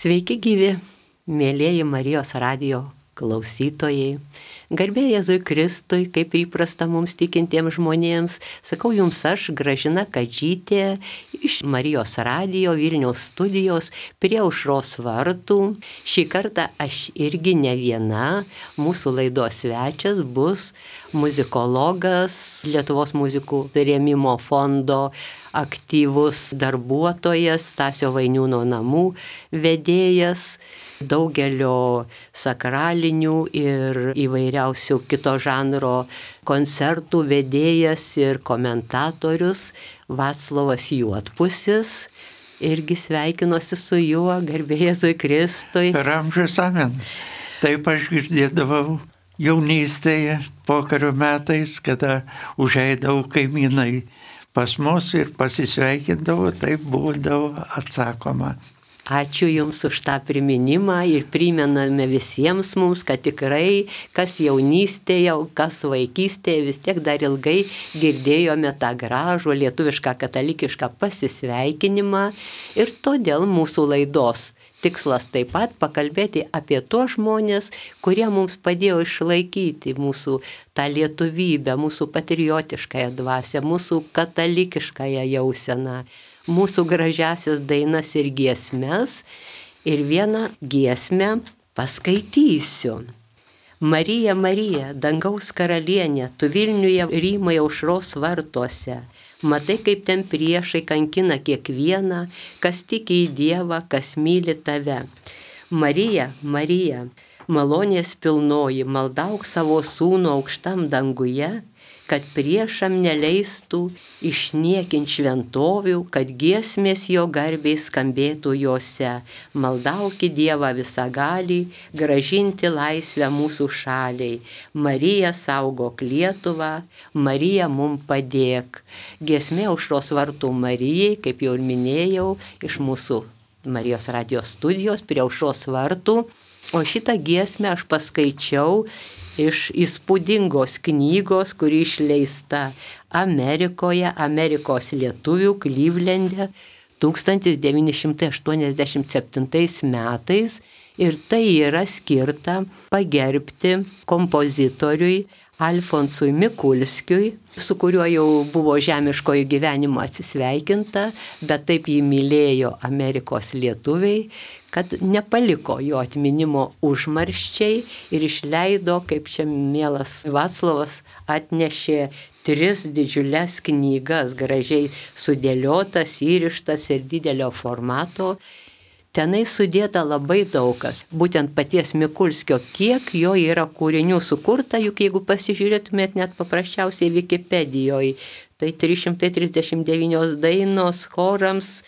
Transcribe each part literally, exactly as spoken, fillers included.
Sveiki gyvi, mėlieji Marijos radijo klausytojai. Garbė Jėzui Kristui, kaip įprasta mums tikintiems žmonėms, sakau jums aš, Gražina Kadžytė, iš Marijos radijo Vilniaus studijos prie Aušros vartų. Šį kartą aš irgi ne viena, mūsų laidos svečias bus muzikologas, Lietuvos muzikų rėmimo fondo aktyvus darbuotojas, Stasio Vainiūno namų vedėjas, daugelio sakralinių ir įvairiausių kito žanro koncertų vedėjas ir komentatorius Vaclovas Juodpusis. Irgi sveikinuosi su juo, garbė Jėzui Kristui. Per amžius amen. Taip aš girdėdavau jaunystėje, pokario metais, kada užeidavau kaimynai pas mus ir pasisveikindavo, taip būdavo atsakoma. Ačiū Jums už tą priminimą ir primename visiems mums, kad tikrai kas jaunystėje, kas vaikystėje, vis tiek dar ilgai girdėjome tą gražų lietuvišką katalikišką pasisveikinimą ir todėl mūsų laidos tikslas taip pat pakalbėti apie tuos žmonės, kurie mums padėjo išlaikyti mūsų tą lietuvybę, mūsų patriotiškąją dvasią, mūsų katalikiškąją jauseną, mūsų gražiasias dainas ir giesmes. Ir vieną giesmę paskaitysiu. Marija, Marija, dangaus karalienė, tu Vilniuje rymai Aušros vartuose. Matai, kaip ten priešai kankina kiekvieną, kas tiki į Dievą, kas myli tave. Marija, Marija, malonės pilnoji, maldauk savo sūnų aukštam danguje, kad priešam neleistų išniekint šventovių, kad giesmės jo garbiai skambėtų jose. Maldauki Dievą visagalį, gražinti laisvę mūsų šaliai. Marija saugok Lietuvą, Marija mum padėk. Giesmė Aušros vartų Marijai, kaip jau ir minėjau, iš mūsų Marijos radijos studijos prie Aušros vartų. O šitą giesmę aš paskaičiau iš įspūdingos knygos, kuri išleista Amerikoje, Amerikos lietuvių Klyvlende tūkstantis devyni šimtai aštuoniasdešimt septintais metais. Ir tai yra skirta pagerbti kompozitoriui Alfonsui Mikulskiui, su kuriuo jau buvo žemiškojo gyvenimo atsisveikinta, bet taip jį mylėjo Amerikos lietuviai, kad nepaliko jo atminimo užmarščiai ir išleido, kaip čia mielas Vaclovas atnešė, tris didžiules knygas, gražiai sudėliotas, įrištas ir didelio formato. Tenai sudėta labai daugas, būtent paties Mikulskio, kiek jo yra kūrinių sukurta, juk jeigu pasižiūrėtumėt net paprasčiausiai Wikipedijoje, tai trys šimtai trisdešimt devynios dainos chorams,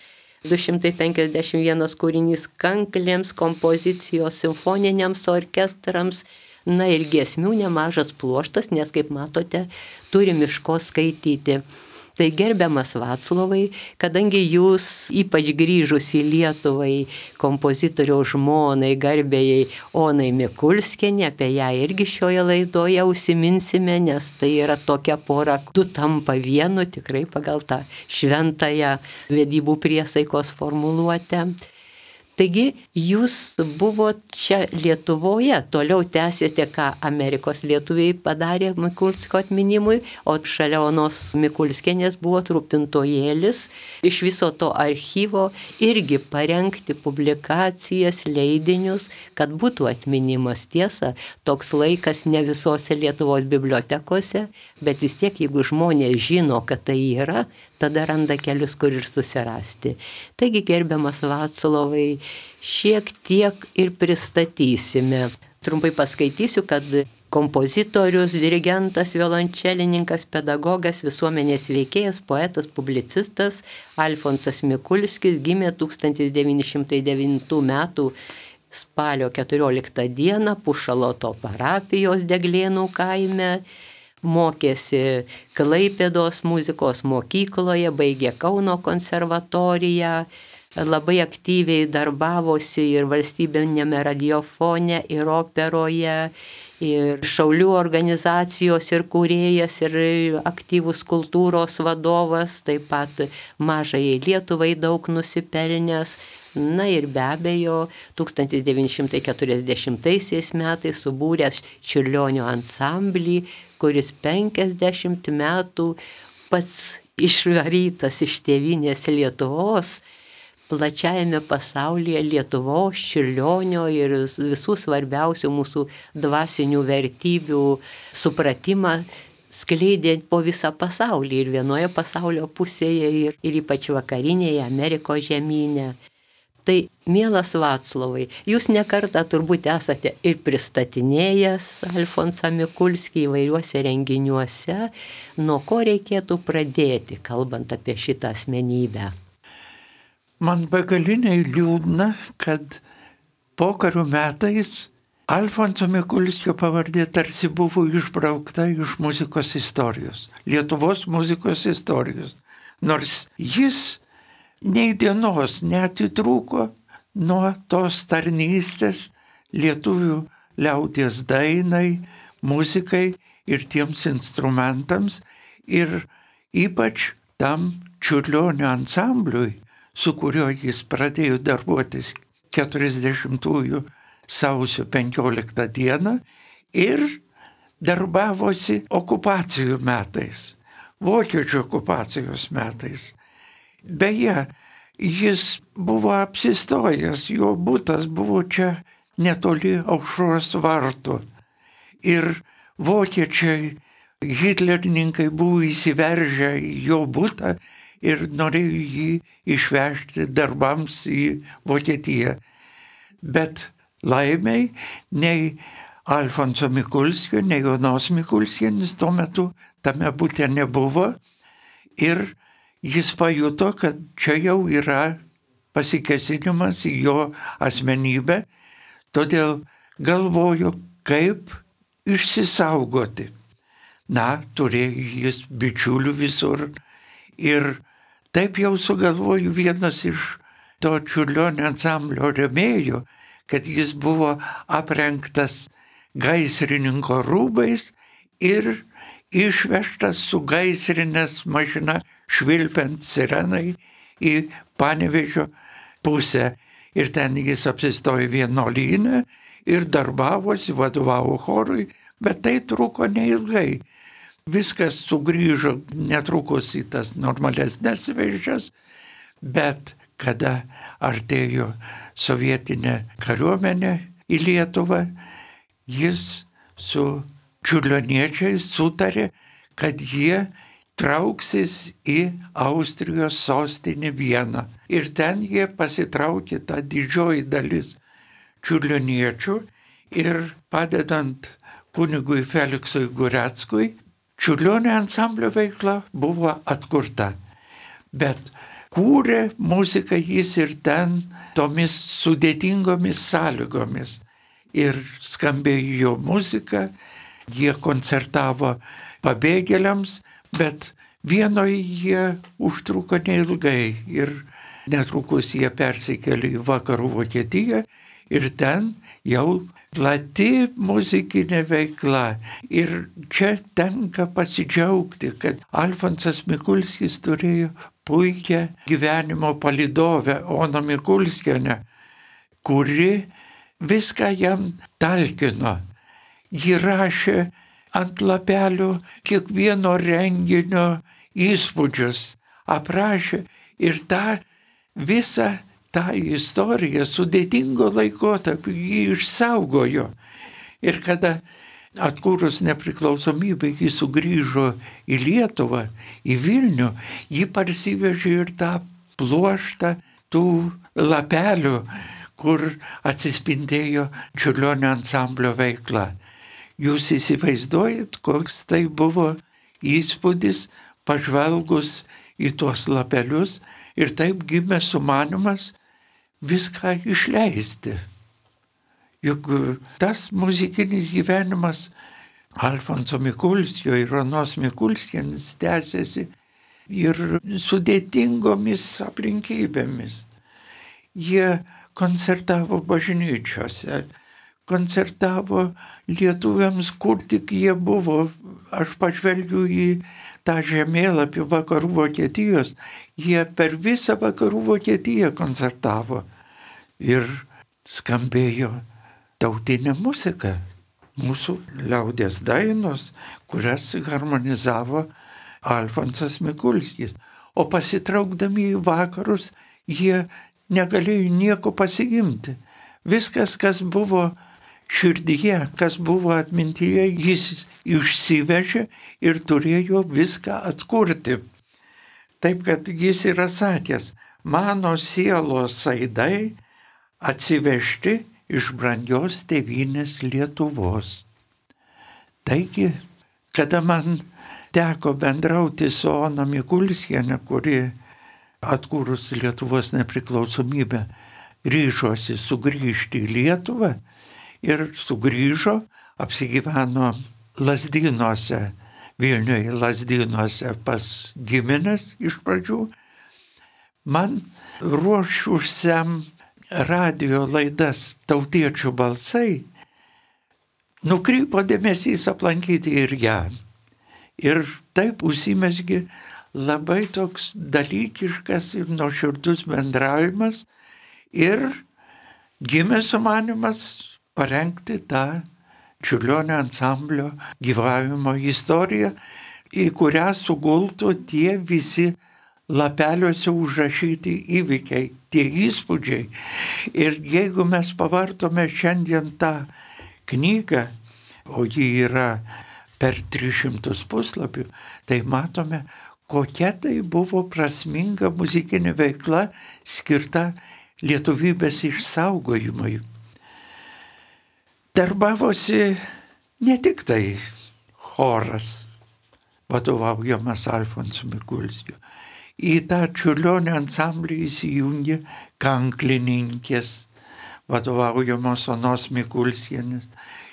du šimtai penkiasdešimt vienas kūrinys kanklėms, kompozicijos simfoniniams orkestrams, na ir giesmių nemažas pluoštas, nes kaip matote, turim iš ko skaityti. Tai gerbiamas Vaclovai, kadangi jūs ypač grįžus į Lietuvai kompozitoriaus žmonai, garbėjai Onai Mikulskienė, apie ją irgi šioje laidoje užsiminsime, nes tai yra tokia pora, du tampa vienu, tikrai pagal tą šventąją vedybų priesaikos formuluotę. Taigi jūs buvot čia Lietuvoje, toliau tęsėte, ką Amerikos lietuviai padarė Mikulskio atminimui, o šalia Onos Mikulskienės buvo rūpintojėlis iš viso to archyvo irgi parengti publikacijas, leidinius, kad būtų atminimas. Tiesa, toks laikas ne visose Lietuvos bibliotekose, bet vis tiek, jeigu žmonės žino, kad tai yra, tada randa kelius, kur ir susirasti. Taigi, gerbiamas Vaclovai, šiek tiek ir pristatysime. Trumpai paskaitysiu, kad kompozitorius, dirigentas, violončelininkas, pedagogas, visuomenės veikėjas, poetas, publicistas Alfonsas Mikulskis gimė tūkstantis devyni šimtai devintų metų spalio keturioliktą dieną Pušaloto parapijos Deglėnų kaime. Mokėsi Klaipėdos muzikos mokykloje, baigė Kauno konservatoriją, labai aktyviai darbavosi ir valstybinėme radiofone, ir operoje, ir šaulių organizacijos, ir kūrėjas, ir aktyvus kultūros vadovas, taip pat mažai Lietuvai daug nusipelnęs, Na ir be abejo, tūkstantis devyni šimtai keturiasdešimtaisiais metais subūręs Čiurlionio ansamblį, kuris penkiasdešimt metų pats išvarytas iš tėvynės Lietuvos, plačiajame pasaulyje Lietuvos, Čiurlionio ir visų svarbiausių mūsų dvasinių vertybių supratimą skleidė po visą pasaulį ir vienoje pasaulio pusėje ir, ir ypač vakarinėje Amerikos žemyne. Tai, mielas Vaclovai, jūs nekartą turbūt esate ir pristatinėjęs Alfonsą Mikulskį įvairiuose renginiuose. Nuo ko reikėtų pradėti, kalbant apie šitą asmenybę? Man begaliniai liūdna, kad pokario metais Alfonso Mikulskio pavardė tarsi buvo išbraukta iš muzikos istorijos, Lietuvos muzikos istorijos. Nors jis nei dienos neatitrūko nuo tos tarnystės lietuvių liaudies dainai, muzikai ir tiems instrumentams ir ypač tam Čiurlionio ansambliui, su kuriuo jis pradėjo darbuotis keturiasdešimtųjų sausio penkioliktą dieną ir darbavosi okupacijų metais, vokiečių okupacijos metais. Beje, jis buvo apsistojęs, jo butas buvo čia netoli Aušros vartų. Ir vokiečiai, hitlerininkai buvo įsiveržę į jo butą ir norėjo jį išvežti darbams į Vokietiją. Bet laimiai nei Alfonso Mikulskio, nei Jonos Mikulskienės tuo metu tame bute nebuvo ir jis pajuto, kad čia jau yra pasikėsinimas į jo asmenybę, todėl galvojo, kaip išsisaugoti. Na, turėjo jis bičiulių visur ir taip jau sugalvoju vienas iš to Čiurlionio ansamblio rėmėjų, kad jis buvo aprengtas gaisrininko rūbais ir išvežtas su gaisrinės mašina švilpiant sirenai į Panevėžio pusę. Ir ten jis apsistojo vienuolyne ir darbavosi, vadovavo chorui, bet tai truko neilgai. Viskas sugrįžo netrukus į tas normalesnes vėžes, bet kada artėjo sovietinė kariuomenė į Lietuvą, jis su čiurlioniečiais sutarė, kad jie trauksis į Austrijos sostinę Vieną. Ir ten jie pasitraukė tą didžioji dalis čiurlioniečių ir padedant kunigui Feliksui Gureckui, Čiurlionio ansamblio veikla buvo atkurta. Bet kūrė muziką jis ir ten tomis sudėtingomis sąlygomis. Ir skambėjo jo muzika, jie koncertavo pabėgėliams, bet Vienoje jie užtruko neilgai ir netrukus jie persikėlė į vakarų Vokietiją ir ten jau plati muzikinė veikla. Ir čia tenka pasidžiaugti, kad Alfonsas Mikulskis turėjo puikią gyvenimo palydovę Oną Mikulskienę, kuri viską jam talkino. Ji rašė ant lapelio kiekvieno renginio įspūdžius, aprašė ir tą visą tą istoriją sudėtingo laikotarpio jį išsaugojo. Ir kada atkūrus nepriklausomybę jį sugrįžo į Lietuvą, į Vilnių, jį parsivežė ir tą pluoštą tų lapelių, kur atsispindėjo Čiurlionio ansamblio veikla. Jūs įsivaizduojat, koks tai buvo įspūdis pažvelgus į tuos lapelius ir taip gimė sumanymas viską išleisti. Juk tas muzikinis gyvenimas Alfonso Mikulskio ir Onos Mikulskienės tęsiasi ir sudėtingomis aplinkybėmis. Jie koncertavo bažnyčiose, koncertavo lietuviams, kur tik jie buvo. Aš pažvelgiu į tą žemėlapį vakarų Vokietijos, jie per visą vakarų Vokietiją koncertavo. ir skambėjo tautinė muzika, mūsų liaudies dainos, kurias harmonizavo Alfonsas Mikulskis. O pasitraukdami į vakarus, jie negalėjo nieko pasigimti. Viskas, kas buvo širdyje, kas buvo atmintyje, jis išsivežė ir turėjo viską atkurti. Taip, kad jis yra sakęs, mano sielos aidai atsivežti iš brangios tėvynės Lietuvos. Taigi, kada man teko bendrauti su Ona Mikulskiene, kuri atkūrus Lietuvos nepriklausomybę ryžosi sugrįžti į Lietuvą ir sugrįžo, apsigyveno Lazdynuose, Vilniuje Lazdynuose pas gimines iš pradžių, man ruošusiam radio laidas Tautiečių balsai nukrypo dėmesys aplankyti ir ją. Ir taip užsimezgė labai toks dalykiškas ir nuoširdus bendravimas ir gimė sumanymas parengti tą Čiurlionio ansamblio gyvavimo istoriją, į kurią sugultų tie visi lapeliuose užrašyti įvykiai, tie įspūdžiai. Ir jeigu mes pavartome šiandien tą knygą, o ji yra per tris šimtus puslapių, tai matome, kokia tai buvo prasminga muzikinė veikla skirta lietuvybės išsaugojimui. Darbavosi ne tik tai choras, vadovaujamas Alfonso Mikulskio. Į tą Čiurlionio ansamblį įsijungė kanklininkės, vadovaujamos Onos Mikulskienės.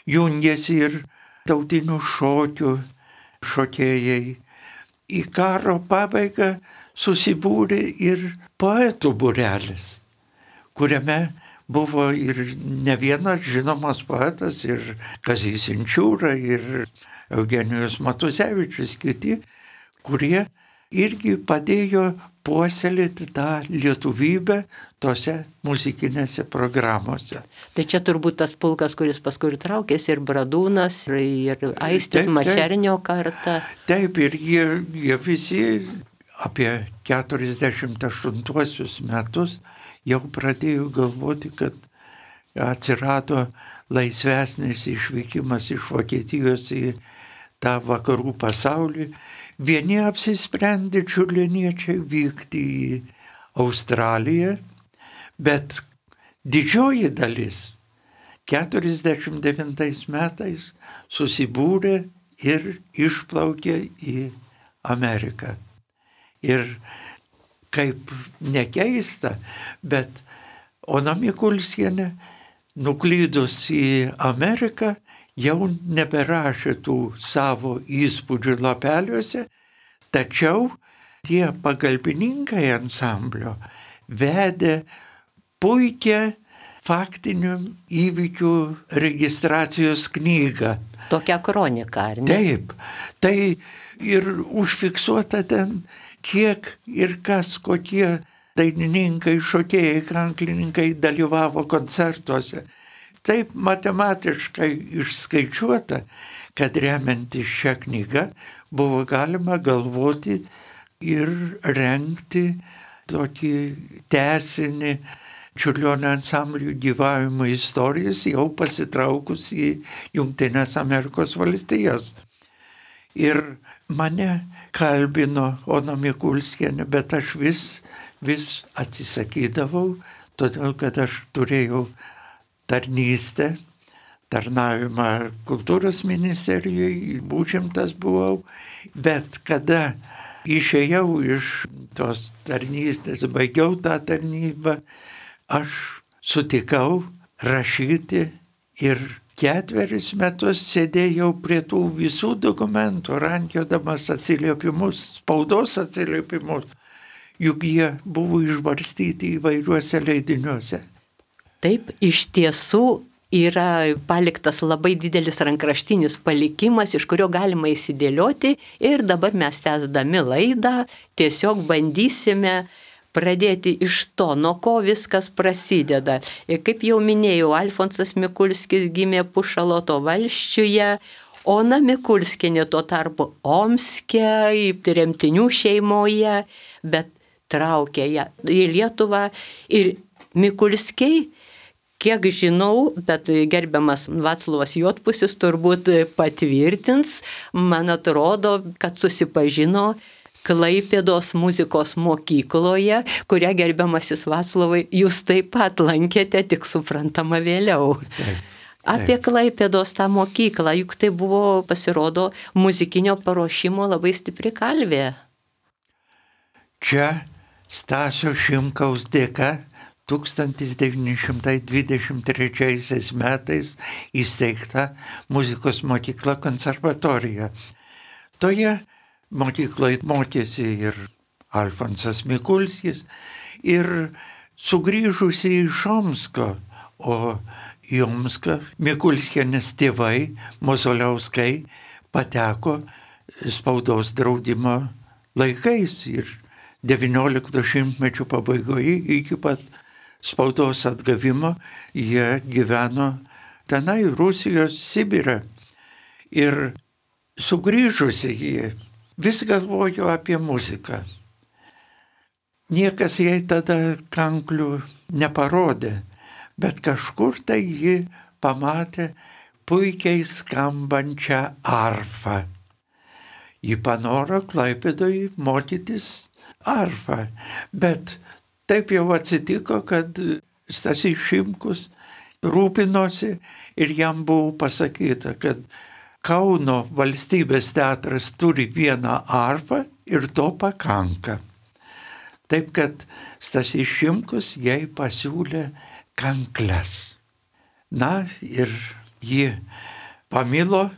Jungėsi ir tautinių šokių šokėjai. Į karo pabaigą susibūrė ir poetų būrelis, kuriame buvo ir ne vienas žinomas poetas, ir Kazys Inčiūra, ir Eugenijus Matuzevičius, kiti, kurie irgi padėjo puoselėti tą lietuvybę tose muzikinėse programuose. Tai čia turbūt tas pulkas, kuris paskui ir traukėsi, ir Bradūnas, ir, ir Aistis taip, Mačernio karta. Taip, ir jie, jie visi apie keturiasdešimt aštuntuosius metus jau pradėjo galvoti, kad atsirado laisvesnis išvykimas iš Vokietijos į tą vakarų pasaulį. Vieni apsisprendė čiurlioniečiai vykti į Australiją, bet didžioji dalis keturiasdešimt devintais metais susibūrė ir išplaukė į Ameriką. Ir kaip nekeista, bet Ona Mikulskienė, nuklydus į Ameriką, jau neberašė tų savo įspūdžių lapeliuose, tačiau tie pagalbininkai ansamblio vedė puikią faktinių įvykių registracijos knygą. Tokia kronika, ar ne? Taip, tai ir užfiksuota ten, kiek ir kas, kokie dainininkai, šokėjai, kanklininkai dalyvavo koncertuose. Taip matematiškai išskaičiuota, kad remiantis šią knygą buvo galima galvoti ir rengti tokį tęsinį Čiurlionio ansamblių gyvavimo istorijos, jau pasitraukus į Jungtines Amerikos valstijas. Ir mane kalbino Ona Mikulskienė, bet aš vis, vis atsisakydavau, todėl kad aš turėjau tarnystę, tarnavimą kultūros ministerijoje, užimtas buvau, bet kada išėjau iš tos tarnystės, baigiau tą tarnybą, aš sutikau rašyti ir ketveris metus sėdėjau prie tų visų dokumentų, rankiodamas atsiliepimus, spaudos atsiliepimus, juk jie buvo išbarstyti įvairiuose leidiniuose. Taip, iš tiesų yra paliktas labai didelis rankraštinis palikimas, iš kurio galima įsidėlioti, ir dabar mes tęsdami laidą tiesiog bandysime pradėti iš to, nuo ko viskas prasideda. Ir kaip jau minėjau, Alfonsas Mikulskis gimė Pušaloto valsčiuje, Ona Mikulskienė tuo tarpu Omske, tremtinių šeimoje, bet traukė ją į Lietuvą ir Mikulskiai, kiek žinau, bet gerbiamas Vaclovas Juodpusis turbūt patvirtins, man atrodo, kad susipažino Klaipėdos muzikos mokykloje, kurią gerbiamasis Vaclovai jūs taip pat lankėte, tik suprantama vėliau. Taip. Apie Klaipėdos tą mokyklą, juk tai buvo, pasirodo, muzikinio paruošimo labai stipri kalvė. Čia Stasio Šimkaus dėka tūkstantis devyni šimtai dvidešimt trečiaisiais metais įsteigta muzikos mokykla konservatorija. Toje mokykloje mokėsi ir Alfonsas Mikulskis, ir sugrįžusi iš Omsko, o į Omską Mikulskienės tėvai, Mozoliauskai, pateko spaudos draudimo laikais ir devyniolikto šimtmečio pabaigoje iki pat spaudos atgavimo jie gyveno tenai Rusijos Sibire. Ir sugrįžusi jie vis galvojo apie muziką. Niekas jai tada kanklių neparodė, bet kažkur tai ji pamatė puikiai skambančią arfą. Ji panoro Klaipėdoje mokytis arfą, bet taip jau atsitiko, kad Stasys Šimkus rūpinosi ir jam buvo pasakyta, kad Kauno valstybės teatras turi vieną arfą ir to pakanka. Taip kad Stasys Šimkus jai pasiūlė kankles. Na ir ji pamilo,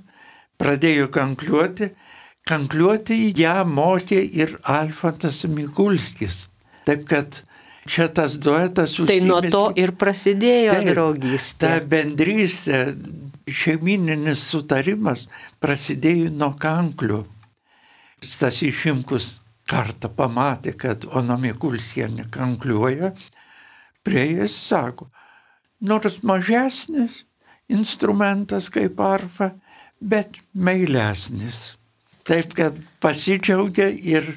pradėjo kankliuoti. Kankliuoti ją mokė ir Alfonsas Mikulskis. Taip kad čia tas duetas užsimezgė. Tai nuo to ir prasidėjo taip, draugystė. Ta bendrystė, šeimininis sutarimas prasidėjo nuo kanklių. Stasys Šimkus kartą pamatė, kad Ona Mikulskienė kankliuoja, prieėjęs sako, nors mažesnis instrumentas kaip arfa, bet meilesnis. Taip, kad pasidžiaugė ir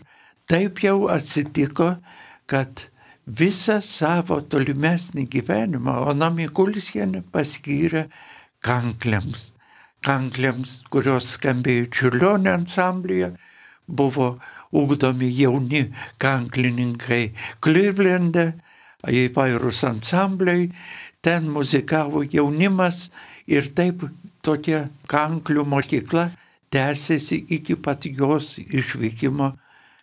taip jau atsitiko, kad visą savo tolimesnį gyvenimą Ona Mikulskienė paskyrė kankliams. Kankliams, kurios skambėjo Čiurlionio ansamblyje, buvo ugdomi jauni kanklininkai Clevelande, įvairūs ansambliai, ten muzikavo jaunimas ir taip tokia kanklių mokykla tęsėsi iki pat jos išvykimo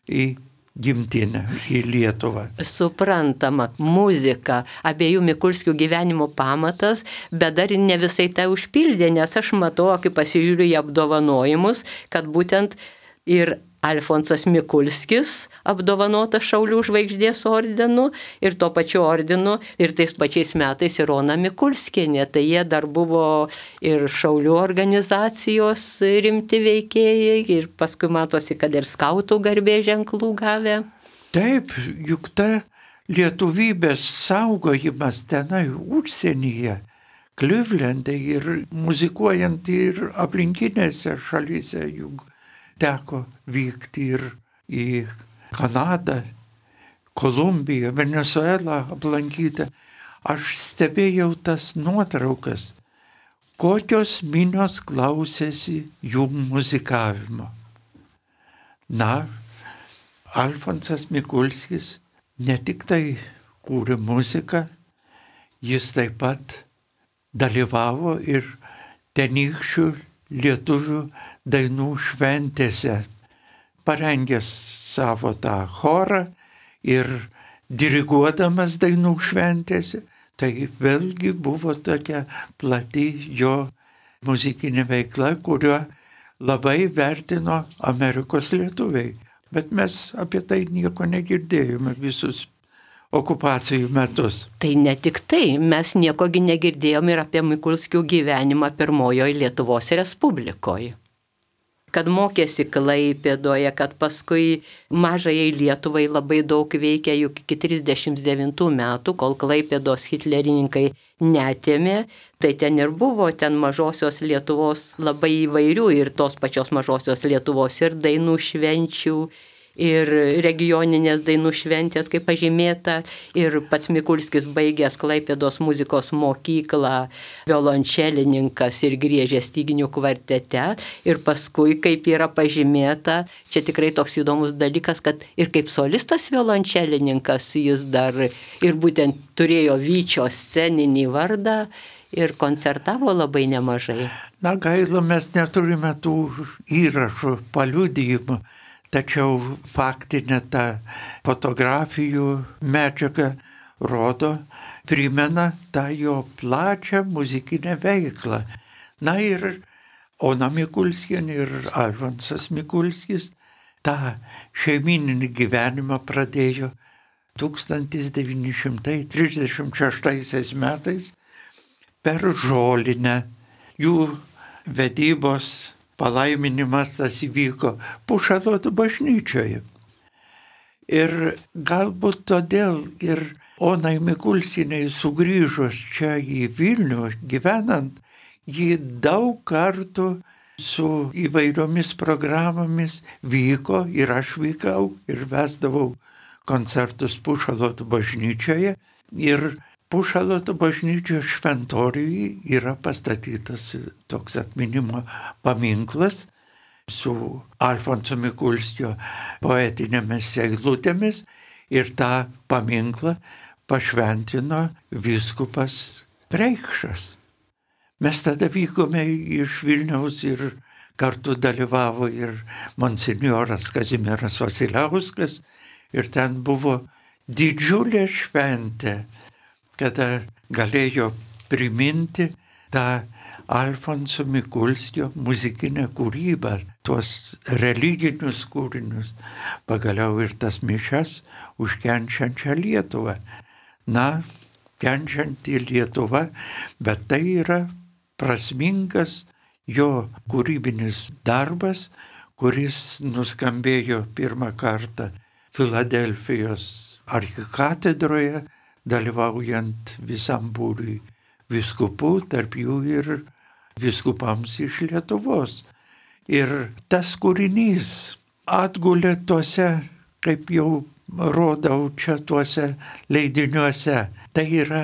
į gimtinę, į Lietuvą. Suprantama, muzika, abiejų Mikulskių gyvenimo pamatas, bet dar ne visai tai užpildė, nes aš matau, kai pasižiūriu į apdovanojimus, kad būtent ir Alfonsas Mikulskis apdovanotas Šaulių žvaigždės ordinu ir tuo pačiu ordinu ir tais pačiais metais ir Ona Mikulskienė. Tai jie dar buvo ir Šaulių organizacijos rimti veikėjai ir paskui matosi, kad ir skautų garbės ženklų gavę. Taip, juk ta lietuvybės saugojimas tenai užsienyje, Clevelande ir muzikuojant ir aplinkinėse šalyse, juk teko vykti ir į Kanadą, Kolumbiją, Venezuelą aplankyti. Aš stebėjau tas nuotraukas, kokios minios klausėsi jų muzikavimo. Na, Alfonsas Mikulskis ne tik tai kūrė muziką, jis taip pat dalyvavo ir tenykščių lietuvių dainų šventėse, parengęs savo tą chorą ir diriguodamas dainų šventėse, tai vėlgi buvo tokia plati jo muzikinė veikla, kurio labai vertino Amerikos lietuviai. Bet mes apie tai nieko negirdėjome visus okupacijų metus. Tai ne tik tai, mes niekogi negirdėjome ir apie Mikulskių gyvenimą pirmojoje Lietuvos Respublikoje. kad mokėsi Klaipėdoje, kad paskui mažajai Lietuvai labai daug veikė, juk iki trisdešimt devintų metų, kol Klaipėdos hitlerininkai netėmė, tai ten ir buvo ten mažosios Lietuvos labai įvairių ir tos pačios mažosios Lietuvos ir dainų švenčių, ir regioninės dainų šventės, kaip pažymėta, ir pats Mikulskis baigęs Klaipėdos muzikos mokyklą, violončelininkas ir griežė styginių kvartete, ir paskui, kaip yra pažymėta, čia tikrai toks įdomus dalykas, kad ir kaip solistas violončelininkas jis dar ir būtent turėjo Vyčio sceninį vardą ir koncertavo labai nemažai. Na gaila, mes neturime tų įrašų, paliudijimų. Tačiau faktinė ta fotografijų medžiaga rodo, primena tą jo plačią muzikinę veiklą. Na ir Ona Mikulskienė ir Alfonsas Mikulskis tą šeimininį gyvenimą pradėjo tūkstantis devyni šimtai trisdešimt šeštaisiais metais per Žolinę. Jų vedybos palaiminimas tas įvyko Pušalotų bažnyčioje. Ir galbūt todėl ir Onai Mikulskienei sugrįžus čia į Vilnių gyvenant, ji daug kartų su įvairiomis programomis vyko ir aš vykau ir vesdavau koncertus Pušalotų bažnyčioje. Ir Pušalotų bažnyčios šventoriuje yra pastatytas toks atminimo paminklas su Alfonso Mikulskio poetinėmis eilutėmis ir tą paminklą pašventino vyskupas Preikšas. Mes tada vykome iš Vilniaus ir kartu dalyvavo ir monsinjoras Kazimieras Vasiliauskas ir ten buvo didžiulė šventė, kada galėjo priminti tą Alfonso Mikulskio muzikinę kūrybą, tuos religinius kūrinius, pagaliau ir tas mišias už kenčiančią Lietuvą. Na, kenčianti Lietuva, bet tai yra prasmingas jo kūrybinis darbas, kuris nuskambėjo pirmą kartą Filadelfijos arkikatedroje, dalyvaujant visam būriui vyskupų, tarp jų ir vyskupams iš Lietuvos. Ir tas kūrinys atgulė tuose, kaip jau rodau čia tuose leidiniuose, tai yra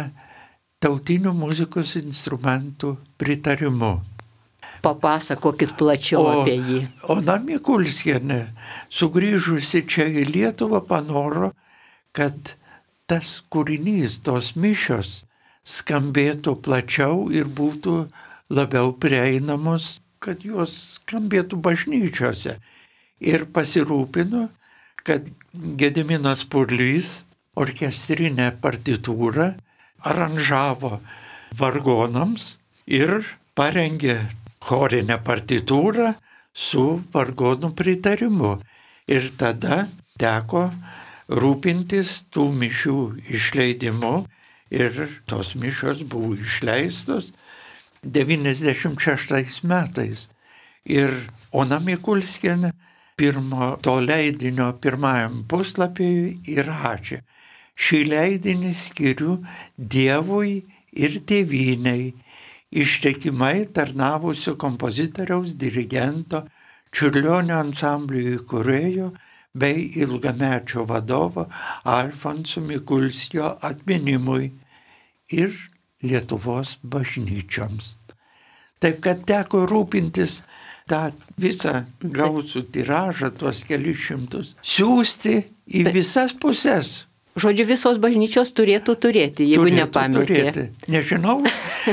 tautinių muzikos instrumentų pritarimu. Papasakokit plačiau o, apie jį. Ona Mikulskienė, sugrįžusi čia į Lietuvą, panoro, kad tas kūrinys, tos mišios skambėtų plačiau ir būtų labiau prieinamos, kad jos skambėtų bažnyčiose. Ir pasirūpino, kad Gediminas Purlys orkestrinę partitūrą aranžavo vargonams ir parengė chorinę partitūrą su vargonų pritarimu. Ir tada teko rūpintis tų mišių išleidimu ir tos mišios buvo išleistos devyniasdešimt šeštais metais. Ir Ona Mikulskienė pirmo to leidinio pirmajam puslapyje įrašė: šį leidinį skiriu Dievui ir tėvynei, ištikimai tarnavusio kompozitoriaus, dirigento, Čiurlionio ansamblių įkūrėjo bei ilgamečio vadovo Alfonso Mikulskio atminimui ir Lietuvos bažnyčioms. Taip kad teko rūpintis tą visą gausų tiražą, tuos kelius šimtus, siųsti į visas pusės. Žodžiu, visos bažnyčios turėtų turėti, jeigu turėtų nepametė. Turėti. Nežinau,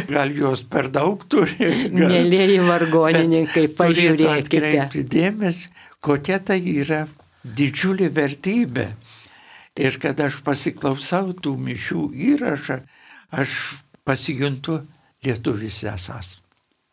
gal jos per daug turi. Gal... Mėlieji vargonininkai, pažiūrėkite. Turėtų atkreipti dėmesį, kokia tai yra didžiulė vertybė. Ir kad aš pasiklausau tų mišių įrašą, aš pasijuntu lietuvis esas.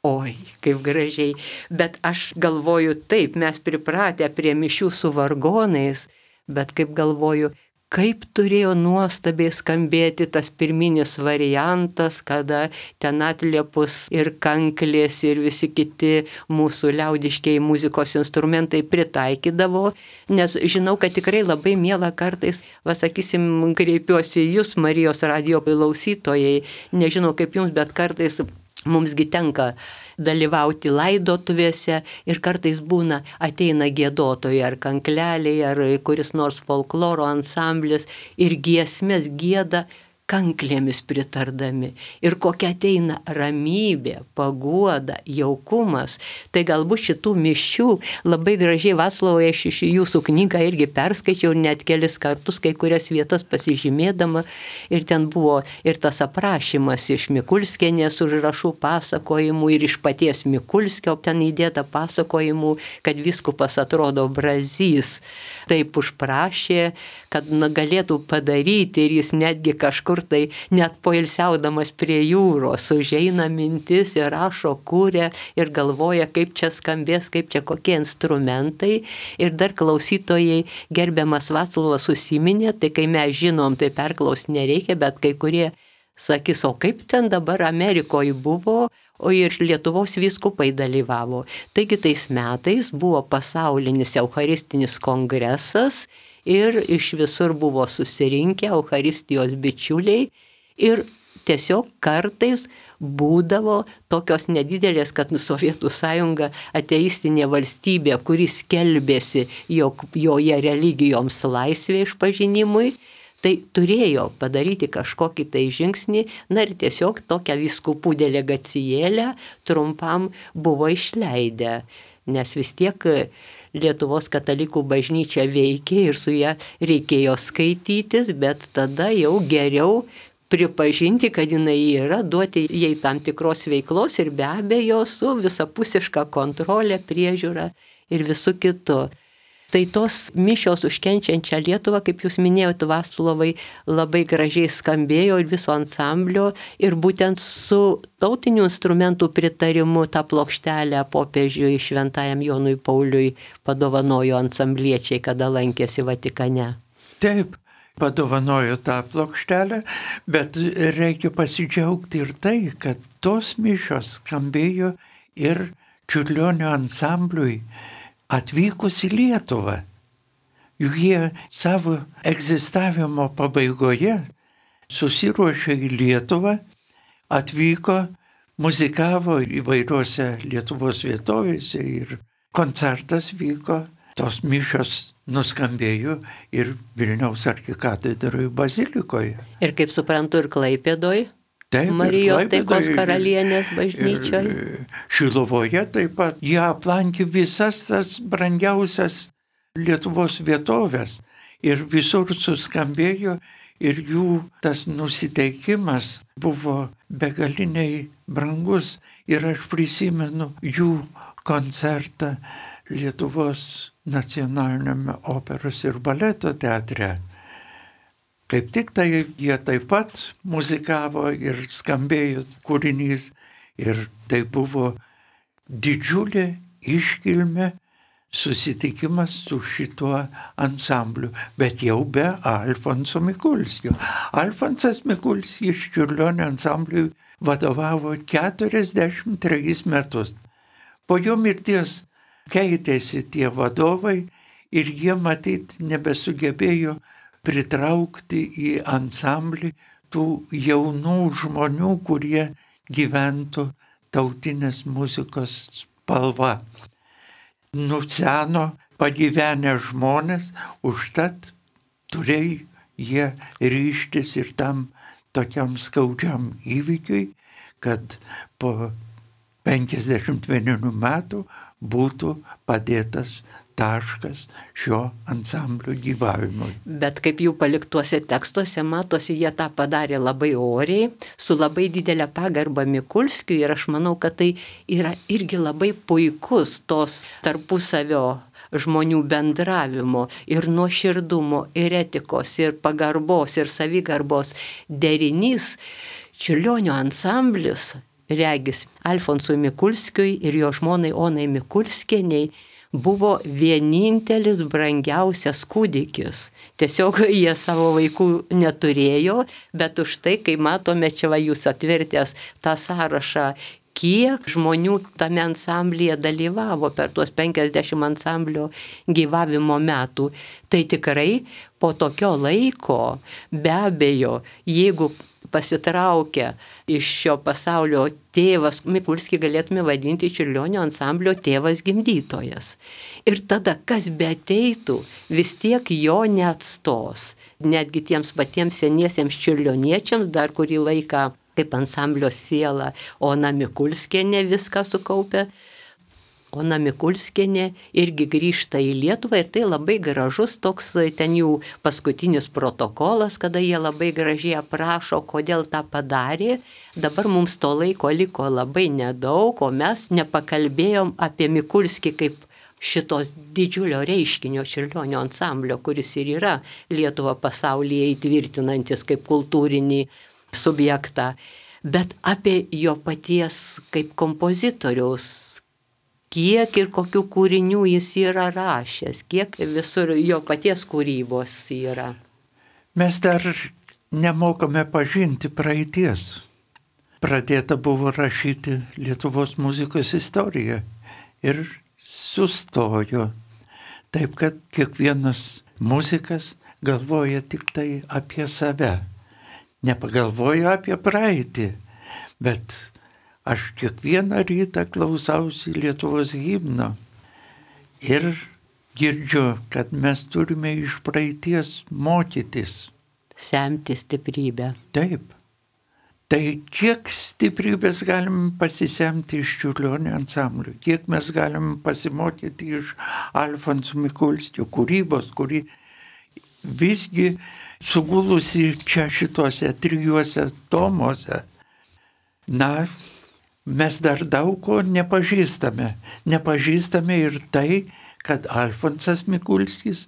Oi, kaip gražiai. Bet aš galvoju taip, mes pripratę prie mišių su vargonais, bet kaip galvoju, kaip turėjo nuostabiai skambėti tas pirminis variantas, kada ten atliepus ir kanklės ir visi kiti mūsų liaudiškiai muzikos instrumentai pritaikydavo, nes žinau, kad tikrai labai miela kartais, vasakysim, kreipiuosi į jūs, Marijos radijo klausytojai, nežinau kaip jums, bet kartais mumsgi tenka dalyvauti laidotuvėse ir kartais būna, ateina giedotojai ar kankleliai, ar kuris nors folkloro ansamblis ir giesmės gieda kanklėmis pritardami. Ir kokia ateina ramybė, paguoda, jaukumas. Tai galbūt šitų mišių labai gražiai, Vaclovai, aš iš jūsų knygą irgi perskaičiau net kelis kartus, kai kurias vietas pasižymėdama. Ir ten buvo ir tas aprašymas iš Mikulskienės užrašų pasakojimų ir iš paties Mikulskio ten įdėta pasakojimų, kad vyskupas atrodo Brazys taip užprašė, kad na, galėtų padaryti ir jis netgi kažkur tai net poilsiaudamas prie jūros užeina mintis ir rašo, kūrė ir galvoja, kaip čia skambės, kaip čia kokie instrumentai. Ir dar klausytojai, gerbiamas Vaclovas užsiminė, tai kai mes žinom, tai perklausti nereikia, bet kai kurie sakys, o kaip ten dabar Amerikoje buvo, o ir Lietuvos vyskupai dalyvavo. Taigi tais metais buvo pasaulinis eucharistinis kongresas ir iš visur buvo susirinkę eucharistijos bičiuliai ir tiesiog kartais būdavo tokios nedidelės, kad Sovietų sąjunga ateistinė valstybė, kuri skelbėsi, jog joje religijoms laisvė išpažinimui, tai turėjo padaryti kažkokį tai žingsnį, na ir tiesiog tokią vyskupų delegacijėlę trumpam buvo išleidę, nes vis tiek Lietuvos katalikų bažnyčia veikė ir su ją reikėjo skaitytis, bet tada jau geriau pripažinti, kad jinai yra, duoti jai tam tikros veiklos ir be abejo su visapusiška kontrolė, priežiūra ir visu kitu. Tai tos mišios už kenčiančią Lietuvą, kaip jūs minėjote, Vaclovai, labai gražiai skambėjo ir viso ansamblio ir būtent su tautinių instrumentų pritarimu tą plokštelę popiežiui Šventajam Jonui Pauliui padovanojo ansambliečiai, kada lankėsi Vatikane. Taip, padovanojo tą plokštelę, bet reikia pasidžiaugti ir tai, kad tos mišios skambėjo ir Čiurlionio ansambliui atvykus į Lietuvą. Juk jie savo egzistavimo pabaigoje susiruošė į Lietuvą, atvyko, muzikavo įvairiuose Lietuvos vietovėse ir koncertas vyko. Tos mišios nuskambėjo ir Vilniaus arkikatedroje bazilikoje. Ir kaip suprantu, ir Klaipėdoje. Taip, Marijos Taikos karalienės bažnyčioje. Šiluvoje taip pat. Jie aplankė visas tas brangiausias Lietuvos vietovės ir visur suskambėjo ir jų tas nusiteikimas buvo begaliniai brangus. Ir aš prisimenu jų koncertą Lietuvos nacionaliniame operos ir baleto teatre. Kaip tik tai jie taip pat muzikavo ir skambėjo kūrinys ir tai buvo didžiulė iškilmė susitikimas su šituo ansambliu, bet jau be Alfonso Mikulskio. Alfonsas Mikulskis Čiurlionio ansambliui vadovavo keturiasdešimt trejus metus. Po jo mirties keitėsi tie vadovai ir jie matyt nebesugebėjo pritraukti į ansamblį tų jaunų žmonių, kurie gyventų tautinės muzikos spalva. Nuseno pagyvenę žmonės, užtat turėjo jie ryžtis ir tam tokiam skaudžiam įvykiui, kad po penkiasdešimt vienerių metų būtų padėtas taškas šio ansamblio gyvavimui. Bet kaip jų paliktuose tekstuose matosi, jie tą padarė labai oriai, su labai didelė pagarba Mikulskiui ir aš manau, kad tai yra irgi labai puikus tos tarpusavio žmonių bendravimo ir nuoširdumo, ir etikos, ir pagarbos, ir savigarbos derinys. Čiurlionio ansamblis, regis Alfonsui Mikulskiui ir jo žmonai Onai Mikulskieniai, buvo vienintelis brangiausias kūdikis. Tiesiog jie savo vaikų neturėjo, bet už tai, kai matome čia va jūs atvertęs tą sąrašą, kiek žmonių tame ansamblyje dalyvavo per tuos penkiasdešimt ansamblio gyvavimo metų, tai tikrai po tokio laiko, be abejo, jeigu pasitraukia iš šio pasaulio tėvas, Mikulskį galėtume vadinti Čiurlionio ansamblio tėvas gimdytojas. Ir tada, kas be ateitų, vis tiek jo neatstos. Netgi tiems patiems seniesiems čiurlioniečiams dar kurį laiką kaip ansamblio siela Ona Mikulskienė viską sukaupė. Ona Mikulskienė irgi grįžta į Lietuvą ir tai labai gražus toks ten jų paskutinis protokolas, kada jie labai gražiai aprašo, kodėl tą padarė. Dabar mums to laiko liko labai nedaug, o mes nepakalbėjom apie Mikulskį kaip šitos didžiulio reiškinio Čiurlionio ansamblio, kuris ir yra Lietuvą pasaulyje įtvirtinantis kaip kultūrinį subjektą, bet apie jo paties kaip kompozitoriaus, kiek ir kokių kūrinių jis yra rašęs, kiek visur jo paties kūrybos yra. Mes dar nemokame pažinti praeities. Pradėta buvo rašyti Lietuvos muzikos istoriją ir sustojo. Taip, kad kiekvienas muzikas galvoja tik tai apie save. Nepagalvoju apie praeitį, bet aš kiekvieną rytą klausausi Lietuvos himno ir girdžiu, kad mes turime iš praeities mokytis. Semti stiprybę. Taip. Tai kiek stiprybės galim pasisemti iš Čiurlionio ansamblio, kiek mes galim pasimokyti iš Alfonso Mikulskio kūrybos, kuri visgi sugulusi čia šituose trijuose tomuose. Na, mes dar daug ko nepažįstame. Nepažįstame ir tai, kad Alfonsas Mikulskis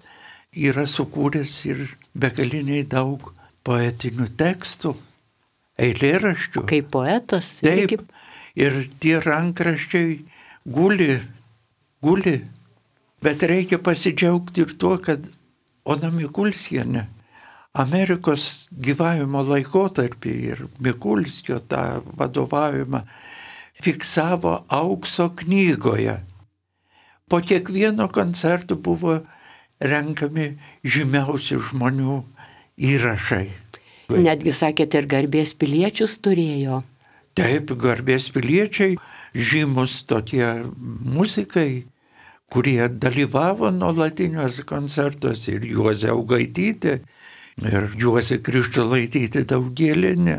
yra sukūręs ir begaliniai daug poetinių tekstų, eilėraščių. Kaip poetas. Taip, kaip... ir tie rankraščiai guli, guli. Bet reikia pasidžiaugti ir tuo, kad Ona Mikulskienė Amerikos gyvavimo laikotarpį ir Mikulskio tą vadovavimą fiksavo Aukso knygoje. Po kiekvieno koncerto buvo renkami žymiausių žmonių įrašai. Netgi sakėte, ir garbės piliečius turėjo. Taip, garbės piliečiai, žymus tokie muzikai, kurie dalyvavo nuolatiniuose koncertuose, ir Juozė Augaitytė, ir Juozė Krištolaitytė Daugėlienė,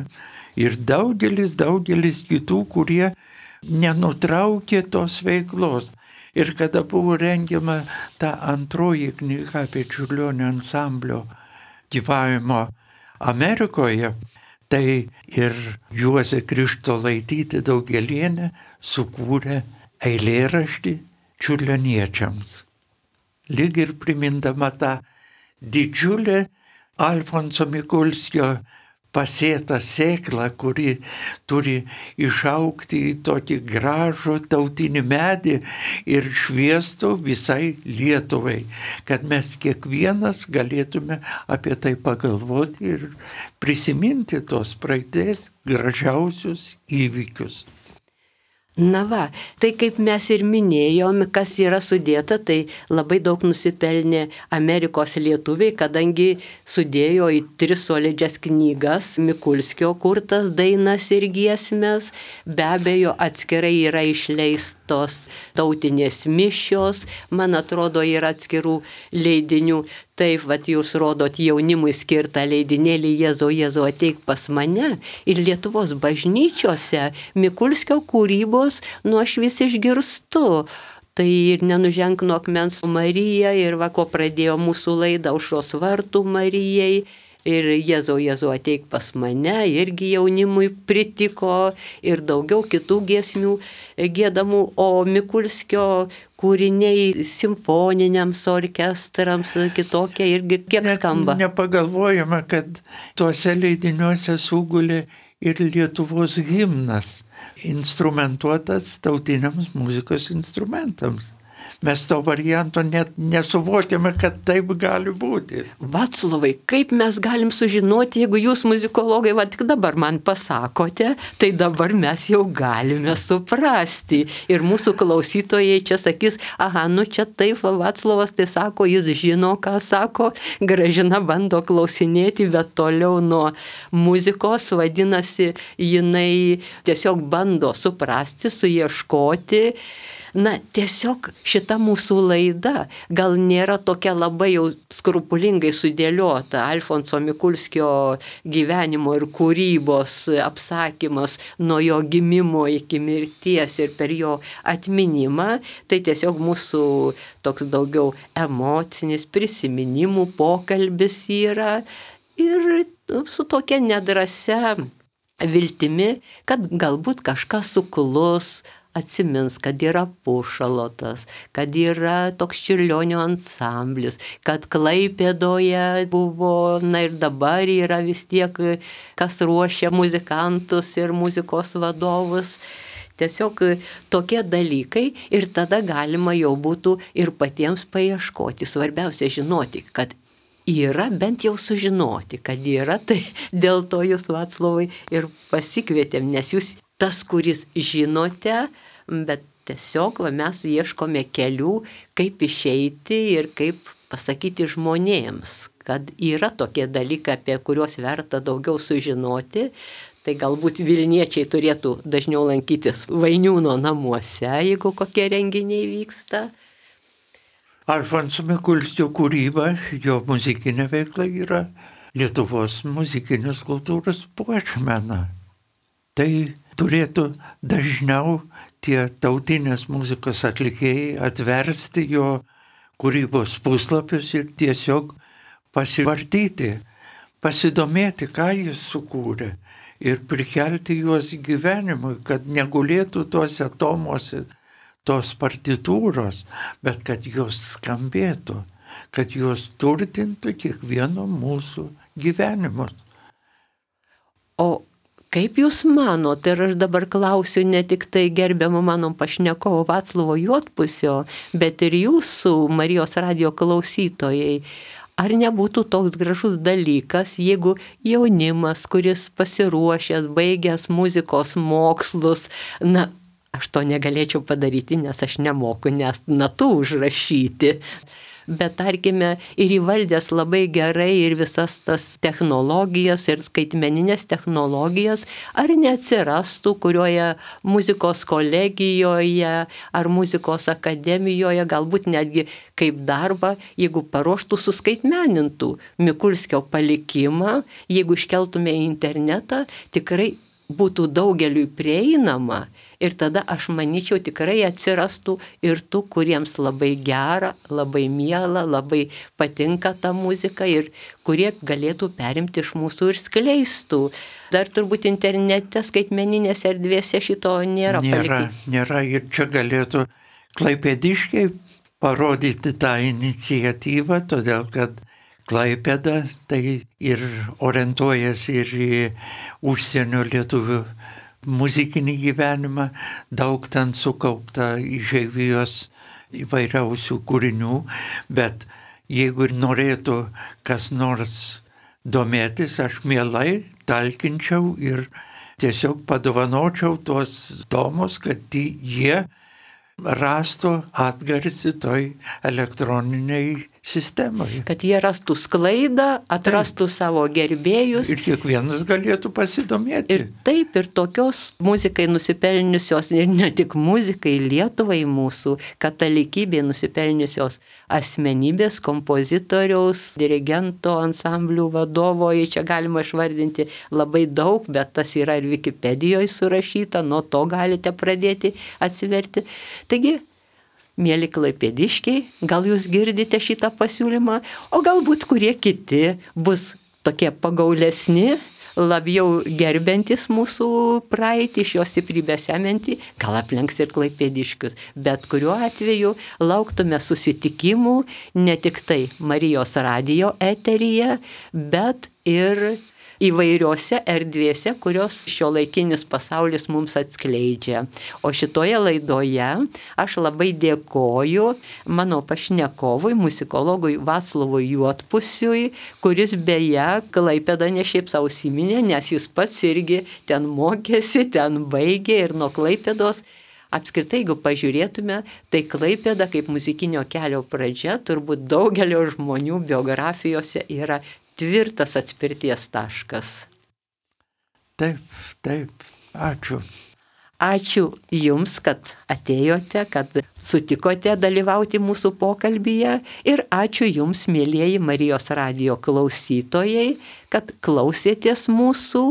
ir daugelis, daugelis kitų, kurie nenutraukė tos veiklos. Ir kada buvo rengiama ta antroji knyga apie Čiurlionio ansamblio gyvavimo Amerikoje, tai ir Juozė Krištolaitytė Daugėlienė sukūrė eilėraštį čiurlioniečiams. Lyg ir primindama tą didžiulę Alfonso Mikulskio pasėtą sėklą, kuri turi išaugti į tokį gražų tautinį medį ir šviestų visai Lietuvai, kad mes kiekvienas galėtume apie tai pagalvoti ir prisiminti tos praeities gražiausius įvykius. Na va, tai kaip mes ir minėjom, kas yra sudėta, tai labai daug nusipelnė Amerikos lietuviai, kadangi sudėjo į tris solidžias knygas Mikulskio kurtas dainas ir giesmes, be abejo atskirai yra išleistos tautinės mišios, man atrodo yra atskirų leidinių. Taip, vat jūs rodot jaunimui skirtą leidinėlį Jėzau, Jėzau ateik pas mane, ir Lietuvos bažnyčiose Mikulskio kūrybos nu aš vis išgirstu. Tai ir Nenuženk nuo akmens Marija, ir va ko pradėjo mūsų laidą Aušros vartų Marijai, ir Jėzau, Jėzau ateik pas mane, irgi jaunimui pritiko, ir daugiau kitų giesmių giedamų, o Mikulskio kūriniai simfoniniams orkestrams kitokie irgi kiek skamba. Ne, nepagalvojama, kad tuose leidiniuose sugulė ir Lietuvos himnas, instrumentuotas tautiniams muzikos instrumentams. mes to varianto net nesuvokiame, kad taip gali būti. Vaclovai, kaip mes galim sužinoti, jeigu jūs muzikologai, va tik dabar man pasakote, tai dabar mes jau galime suprasti. Ir mūsų klausytojai čia sakys, aha, nu čia taip, Vaclovas tai sako, jis žino, ką sako, Gražina bando klausinėti, bet toliau nuo muzikos, vadinasi, jinai tiesiog bando suprasti, suieškoti. Na, tiesiog šita mūsų laida gal nėra tokia labai jau skrupulingai sudėliota. Alfonso Mikulskio gyvenimo ir kūrybos apsakymas nuo jo gimimo iki mirties ir per jo atminimą. Tai tiesiog mūsų toks daugiau emocinis prisiminimų pokalbis yra ir su tokia nedrasia viltimi, kad galbūt kažkas suklus, atsimins, kad yra Pušalotas, kad yra toks Čiurlionio ansamblis, kad Klaipėdoje buvo, na ir dabar yra vis tiek, kas ruošia muzikantus ir muzikos vadovus. Tiesiog tokie dalykai ir tada galima jau būtų ir patiems paieškoti. Svarbiausia žinoti, kad yra, bent jau sužinoti, kad yra, tai dėl to jūs, Vaclovai, ir pasikvietėm, nes jūs tas, kuris žinote, bet tiesiog va, mes ieškome kelių, kaip išeiti ir kaip pasakyti žmonėms, kad yra tokie dalykai, apie kuriuos verta daugiau sužinoti. Tai galbūt Vilniečiai turėtų dažniau lankytis Vainiūno namuose, jeigu kokie renginiai vyksta. Alfonso Mikulskio kūryba, jo muzikinė veikla yra Lietuvos muzikinės kultūros puošmena. Tai turėtų dažniau tie tautinės muzikos atlikėjai atversti jo kūrybos puslapius ir tiesiog pasivartyti, pasidomėti, ką jis sukūrė ir prikelti juos gyvenimui, kad negulėtų tuose tomuose tos partitūros, bet kad jos skambėtų, kad jos turtintų kiekvieno mūsų gyvenimus. O kaip jūs manot, ir aš dabar klausiu ne tik tai gerbiamo mano pašnekovo Vaclovo Juodpusio, bet ir jūsų Marijos radijo klausytojai, ar nebūtų toks gražus dalykas, jeigu jaunimas, kuris pasiruošęs, baigęs muzikos mokslus, na, aš to negalėčiau padaryti, nes aš nemoku nes natų užrašyti. Bet tarkime ir įvaldęs labai gerai ir visas tas technologijas ir skaitmeninės technologijas, ar neatsirastų kurioje muzikos kolegijoje ar muzikos akademijoje, galbūt netgi kaip darbą, jeigu paruoštų suskaitmenintų Mikulskio palikimą, jeigu iškeltume į internetą, tikrai būtų daugeliui prieinama ir tada aš manyčiau tikrai atsirastų ir tų, kuriems labai gera, labai miela, labai patinka ta muzika ir kurie galėtų perimti iš mūsų ir skleistų. Dar turbūt internete, skaitmeninėse erdvėse šito nėra. Nėra, palikti. nėra ir čia galėtų klaipėdiškiai parodyti tą iniciatyvą, todėl kad Klaipėda tai ir orientuojasi ir į užsienio lietuvių muzikinį gyvenimą, daug ten sukaupta išeivijos įvairiausių kūrinių, bet jeigu ir norėtų kas nors domėtis, aš mielai talkinčiau ir tiesiog padovanočiau tuos tomus, kad jie rastų atgarsį toj elektroniniai sistemoje. Kad jie rastų sklaidą, atrastų taip savo gerbėjus. Ir kiekvienas galėtų pasidomėti. Ir taip, ir tokios muzikai nusipelniusios, ir ne tik muzikai, Lietuvai mūsų, katalikybė nusipelniusios asmenybės, kompozitoriaus, dirigento, ansamblių vadovo, čia galima išvardinti labai daug, bet tas yra ir Wikipedijoje surašyta, nuo to galite pradėti atsiverti. Taigi, mieli klaipėdiškiai, gal jūs girdite šitą pasiūlymą, o galbūt kurie kiti bus tokie pagaulesni, labiau gerbiantis mūsų praeitį, iš jos stiprybę semiantį, gal aplenks ir klaipėdiškius. Bet kuriuo atveju lauktume susitikimų ne tik tai Marijos radijo eteryje, bet ir įvairiose erdvėse, kurios šiuolaikinis pasaulis mums atskleidžia. O šitoje laidoje aš labai dėkoju mano pašnekovui, muzikologui Vaclovui Juodpusiui, kuris beje Klaipėdą ne šiaip sau užsiminė, nes jis pats irgi ten mokėsi, ten baigė ir nuo Klaipėdos. Apskritai, jeigu pažiūrėtume, tai Klaipėda kaip muzikinio kelio pradžia turbūt daugelio žmonių biografijose yra tvirtas atspirties taškas. Taip, taip, ačiū. Ačiū Jums, kad atėjote, kad sutikote dalyvauti mūsų pokalbyje ir ačiū Jums, mielieji Marijos radijo klausytojai, kad klausėtės mūsų.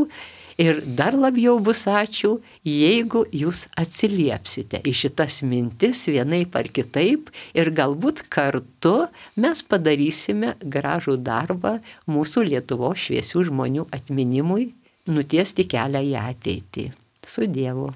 Ir dar labiau bus ačiū, jeigu jūs atsiliepsite į šitas mintis vienaip ar kitaip ir galbūt kartu mes padarysime gražų darbą mūsų Lietuvos šviesių žmonių atminimui, nutiesti kelią į ateitį. Su Dievu.